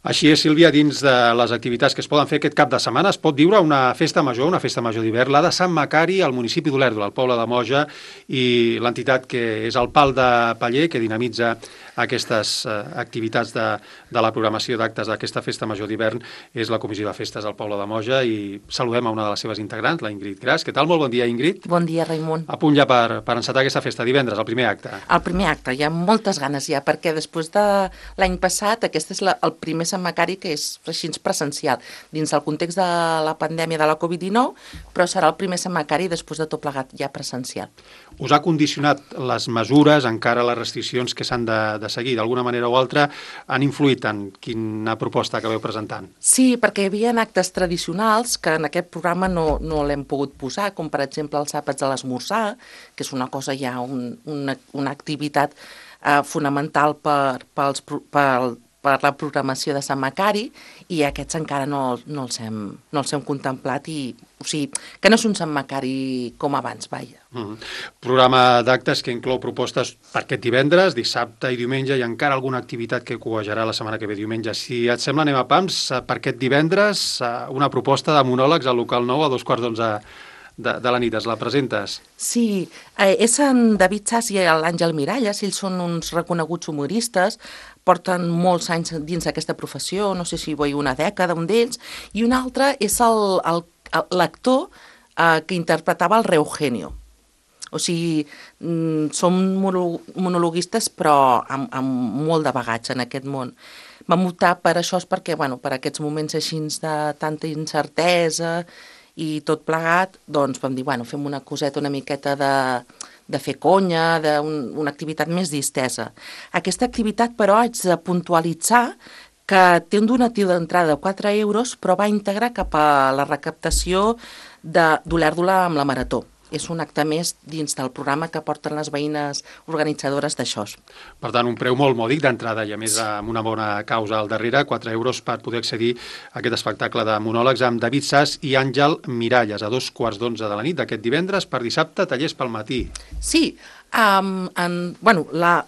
Així és, Sílvia, dins de les activitats que es poden fer aquest cap de setmana es pot viure una festa major d'hivern, la de Sant Macari, al municipi d'Olèrdola, al poble de Moja, i l'entitat que és el Pal de Paller, que dinamitza aquestes activitats de la programació d'actes d'aquesta festa major d'hivern, és la Comissió de Festes al poble de Moja, i saludem a una de les seves integrants, la Ingrid Gras. Què tal? Molt bon dia, Ingrid. Bon dia, Raimon. A punt ja per encetar aquesta festa, divendres, el primer acte. El primer acte, hi ha moltes ganes ja, perquè després de l'any passat, aquest és el primer Sant Macari que és així presencial, dins el context de la pandèmia de la Covid-19, però serà el primer Sant Macari després de tot plegat ja presencial. Us ha condicionat les mesures, encara les restriccions que s'han de seguir, d'alguna manera o altra, han influït en quina proposta acabeu presentant? Sí, perquè hi havia actes tradicionals que en aquest programa no l'hem pogut posar, com per exemple els àpats de l'esmorzar, que és una cosa ja, una activitat fonamental per la programació de Sant Macari, i aquests encara no els hem contemplat, o sigui, que no és un Sant Macari com abans, vaja. Programa d'actes que inclou propostes per aquest divendres, dissabte i diumenge, i encara alguna activitat que coejarà la setmana que ve diumenge. Si et sembla, anem a pams. Per aquest divendres, una proposta de monòlegs al local 9 a 2:15 de la nit. Es la presentes? Sí, és en David Sass i l'Àngel Miralles. Ells són uns reconeguts humoristes, porten molts anys dins d'aquesta professió, no sé si vull una dècada, un d'ells, i un altre és l'actor que interpretava el Reugenio. O sigui, som monologuistes però amb molt de bagatge en aquest món. Vam optar per això perquè, per aquests moments així de tanta incertesa i tot plegat, doncs vam dir, fem una coseta una miqueta de fer conya, d'una activitat més distesa. Aquesta activitat, però, haig de puntualitzar que té un donatiu d'entrada de 4 euros, però va íntegre cap a la recaptació d'Olèrdola amb la Marató. És un acte més dins del programa que porten les veïnes organitzadores d'això. Per tant, un preu molt mòdic d'entrada i a més amb una bona causa al darrere, 4 euros per poder accedir a aquest espectacle de monòlegs amb David Sass i Àngel Miralles a 2:15 de la nit d'aquest divendres. Per dissabte, tallers pel matí. Sí,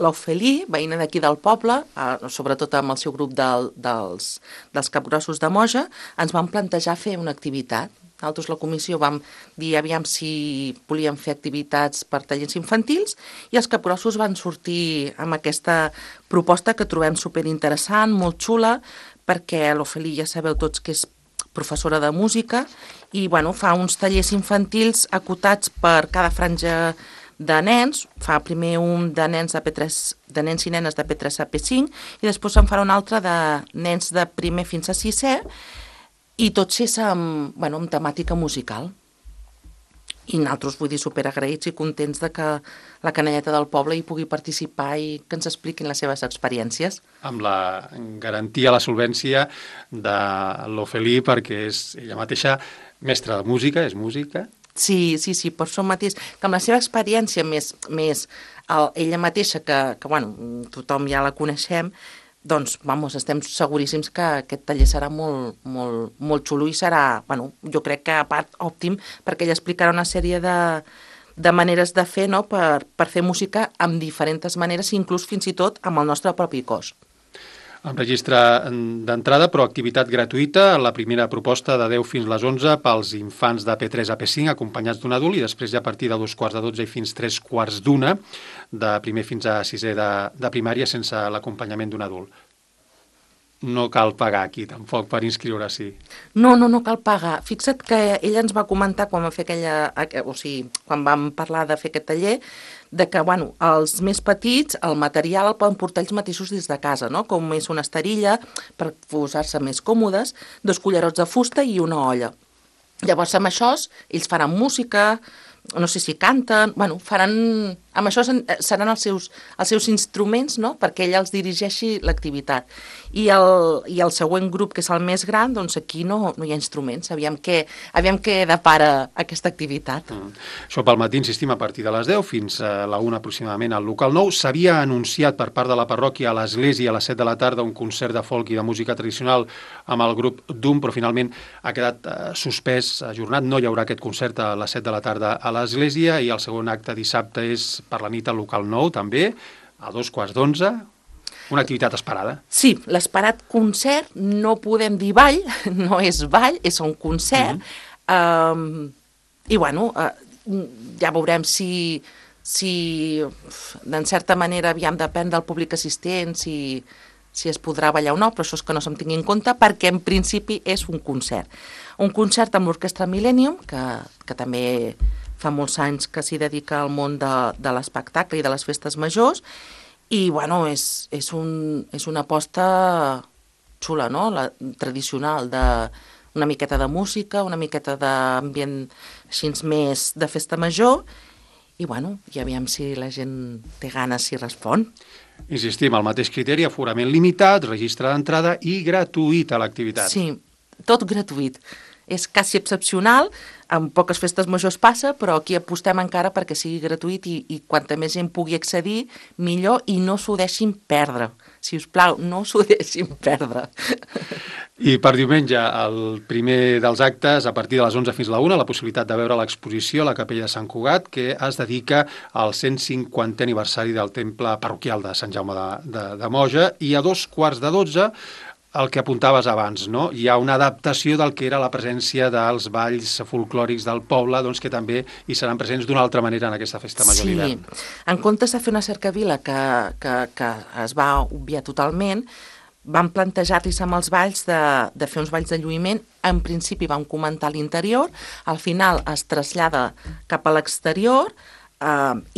l'Ofelí, veïna d'aquí del poble, sobretot amb el seu grup dels capgrossos de Moja, ens van plantejar fer una activitat. Nosaltres, la comissió, vam dir aviam si volíem fer activitats per tallers infantils i els capgrossos van sortir amb aquesta proposta que trobem superinteressant, molt xula, perquè l'Ofelí ja sabeu tots que és professora de música i fa uns tallers infantils acotats per cada franja de nens. Fa primer un de nens de nens i nenes de P3 a P5 i després en farà un altre de nens de primer fins a 6è, i tots és amb temàtica musical. I nosaltres, vull dir, superagraïts i contents de que la canalleta del poble hi pugui participar i que ens expliquin les seves experiències. Amb la garantia, la solvència de l'Ofelí, perquè és ella mateixa mestra de música, és música. Sí, per això mateix, que amb la seva experiència més ella mateixa, que tothom ja la coneixem, doncs, estem seguríssims que aquest taller serà molt, molt, molt xulo i serà, jo crec que a part òptim, perquè ella explicarà una sèrie de maneres de fer, no?, per fer música amb diferents maneres, inclús fins i tot amb el nostre propi cos. Amb registre d'entrada, però activitat gratuïta, la primera proposta de 10 fins les 11 pels infants de P3 a P5 acompanyats d'un adult i després ja a partir de 2:15 i fins 3:15 de primer fins a 6è de primària sense l'acompanyament d'un adult. No cal pagar aquí, tampoc, per inscriure-s'hi. No cal pagar. Fixa't que ella ens va comentar quan quan vam parlar de fer aquest taller, de que, els més petits, el material el poden portar ells mateixos des de casa, no? Com és una esterilla per posar-se més còmodes, 2 cullerots de fusta i una olla. Llavors, amb això, ells faran música, no sé si canten, faran... Amb això seran els seus instruments, no?, perquè ella els dirigeixi l'activitat. I el següent grup, que és el més gran, doncs aquí no hi ha instruments. Aviam què depara aquesta activitat. Això pel matí, insistim, a partir de les 10 fins a la 1 aproximadament al local 9. S'havia anunciat per part de la parròquia a l'església a les 7 de la tarda un concert de folk i de música tradicional amb el grup DUM, però finalment ha quedat suspès, ajornat. No hi haurà aquest concert a les 7 de la tarda a l'església i el segon acte dissabte és per la nit al local 9, també, a 2:15. una activitat esperada. Sí, l'esperat concert, no podem dir ball, no és ball, és un concert, i bueno, ja veurem si d'en certa manera, aviam, depèn del públic assistent, si es podrà ballar o no, però això és que no se'm tingui en compte, perquè en principi és un concert. Un concert amb l'Orquestra Millennium, que també fa molts anys que s'hi dedica al món de l'espectacle i de les festes majors, i bueno, és una aposta xula, no? Tradicional, una miqueta de música, una miqueta d'ambient així més de festa major, i bueno, i aviam si la gent té ganes, si respon. Insistim, el mateix criteri, aforament limitat, registre d'entrada i gratuït a l'activitat. Sí, tot gratuït. És quasi excepcional, en poques festes majors passa, però aquí apostem encara perquè sigui gratuït i quanta més gent pugui accedir, millor, i no s'ho deixin perdre. Si us plau, no s'ho deixin perdre. I per diumenge, el primer dels actes, a partir de les 11 fins a la 1, la possibilitat de veure l'exposició a la Capella de Sant Cugat, que es dedica al 150è aniversari del temple parroquial de Sant Jaume de Moja, i a 2:15, el que apuntaves abans, no? Hi ha una adaptació del que era la presència dels balls folclòrics del poble, doncs que també hi seran presents d'una altra manera en aquesta festa major d'hivern. Sí, en comptes de fer una cercavila que es va obviar totalment, vam plantejar-los amb els balls de fer uns balls de lluïment. En principi vam comentar l'interior, al final es trasllada cap a l'exterior,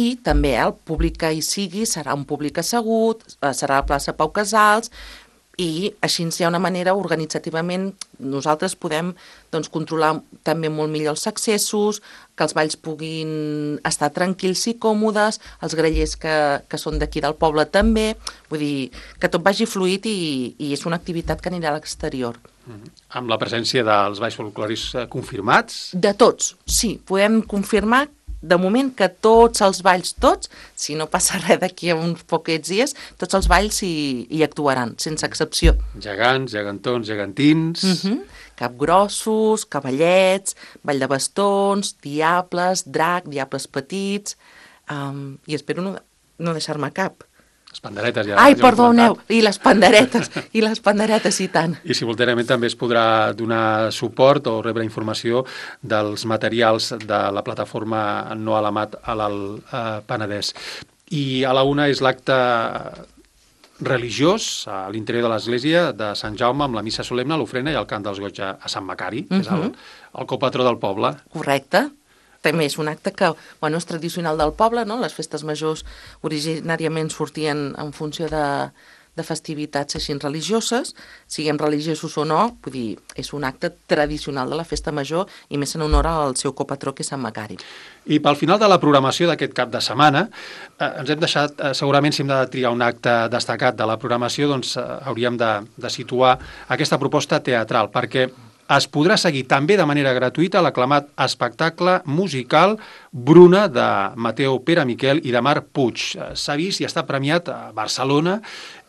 i també el públic que hi sigui serà un públic assegut, serà a la plaça Pau Casals, i així hi ha una manera, organitzativament, nosaltres podem controlar també molt millor els accessos, que els balls puguin estar tranquils i còmodes, els grallers que són d'aquí del poble també, vull dir, que tot vagi fluid i és una activitat que anirà a l'exterior. Amb la presència dels balls folclòrics confirmats? De tots, sí, podem confirmar de moment que tots els balls, si no passa res d'aquí a uns poquets dies, tots els balls hi actuaran, sense excepció. Gegants, gegantons, gegantins... Capgrossos, cavallets, ball de bastons, diables, drac, diables petits, i espero no deixar-me cap. Les panderetes ja... Ai, perdoneu, i les panderetes, i tant. I simultàniament també es podrà donar suport o rebre informació dels materials de la plataforma No Alamat a l'Alt Penedès. I a la 1 és l'acte religiós a l'interior de l'església de Sant Jaume amb la missa solemne, l'ofrena i el cant dels goigs a Sant Macari, que és el copatró del poble. Correcte. També és un acte que és tradicional del poble, no? Les festes majors originàriament sortien en funció de festivitats així religioses, siguem religiosos o no, vull dir, és un acte tradicional de la festa major i més en honor al seu copatró, que és Sant Macari. I pel final de la programació d'aquest cap de setmana, ens hem deixat, segurament si hem de triar un acte destacat de la programació, doncs hauríem de situar aquesta proposta teatral, perquè es podrà seguir també de manera gratuïta l'aclamat espectacle musical Bruna de Mateu Pere Miquel i de Marc Puig. S'ha vist i està premiat a Barcelona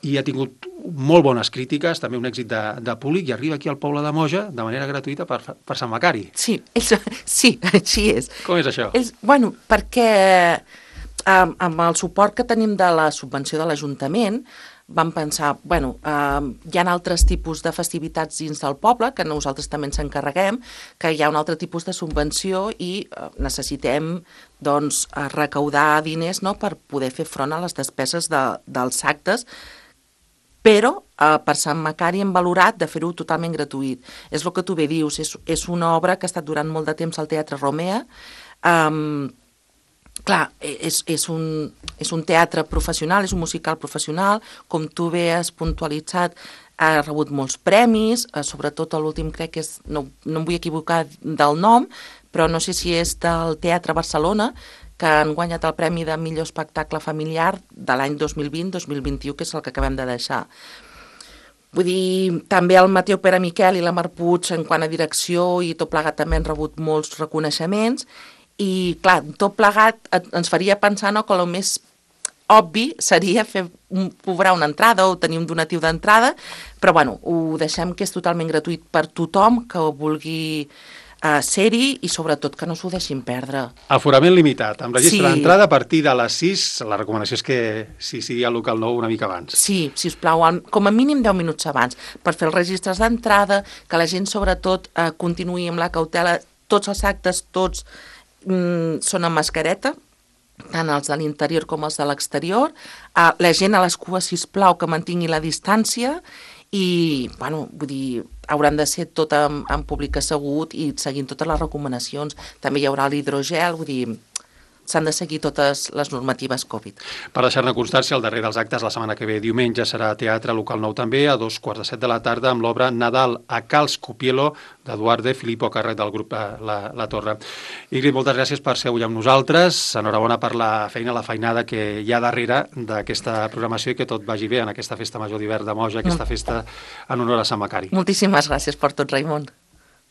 i ha tingut molt bones crítiques, també un èxit de públic, i arriba aquí al poble de Moja de manera gratuïta per Sant Macari. Sí, així és. Com és això? Perquè amb el suport que tenim de la subvenció de l'Ajuntament, vam pensar, hi ha altres tipus de festivitats dins del poble, que nosaltres també ens encarreguem, que hi ha un altre tipus de subvenció i necessitem recaudar diners per poder fer front a les despeses dels actes, però per Sant Macari hem valorat de fer-ho totalment gratuït. És el que tu bé dius, és una obra que ha estat durant molt de temps al Teatre Romea. Clar, és un teatre professional, és un musical professional, com tu bé has puntualitzat, ha rebut molts premis, sobretot l'últim crec que és, no em vull equivocar del nom, però no sé si és del Teatre Barcelona, que han guanyat el premi de millor espectacle familiar de l'any 2020-2021, que és el que acabem de deixar. Vull dir, també el Mateu Pere Miquel i la Marc Puig, en quant a direcció i tot plegat, també han rebut molts reconeixements. I, clar, tot plegat ens faria pensar que el més obvi seria cobrar una entrada o tenir un donatiu d'entrada, però ho deixem que és totalment gratuït per tothom que vulgui ser-hi i sobretot que no s'ho deixin perdre. Aforament limitat, amb registre Sí. d'entrada a partir de les 6, la recomanació és que si sigui al local nou una mica abans. Sí, sisplau, com a mínim 10 minuts abans, per fer els registres d'entrada, que la gent sobretot continuï amb la cautela, tots els actes, tots són amb mascareta, tant els de l'interior com els de l'exterior, la gent a les cues, sisplau, que mantingui la distància i, bueno, vull dir, hauran de ser tot en públic assegut i seguint totes les recomanacions. També hi haurà l'hidrogel, vull dir, s'han de seguir totes les normatives Covid. Per deixar-ne constància, el darrer dels actes la setmana que ve, diumenge, serà Teatre Local Nou també, a 2:45 de la tarda, amb l'obra Nadal a Cal Scopielo, d'Eduard de Filippo, a càrrec del grup La Torre. Ingrid, moltes gràcies per ser avui amb nosaltres. Enhorabona per la feina, la feinada que hi ha darrere d'aquesta programació i que tot vagi bé en aquesta festa major d'hivern de Moja, aquesta festa en honor a Sant Macari. Moltíssimes gràcies per tot, Raimon.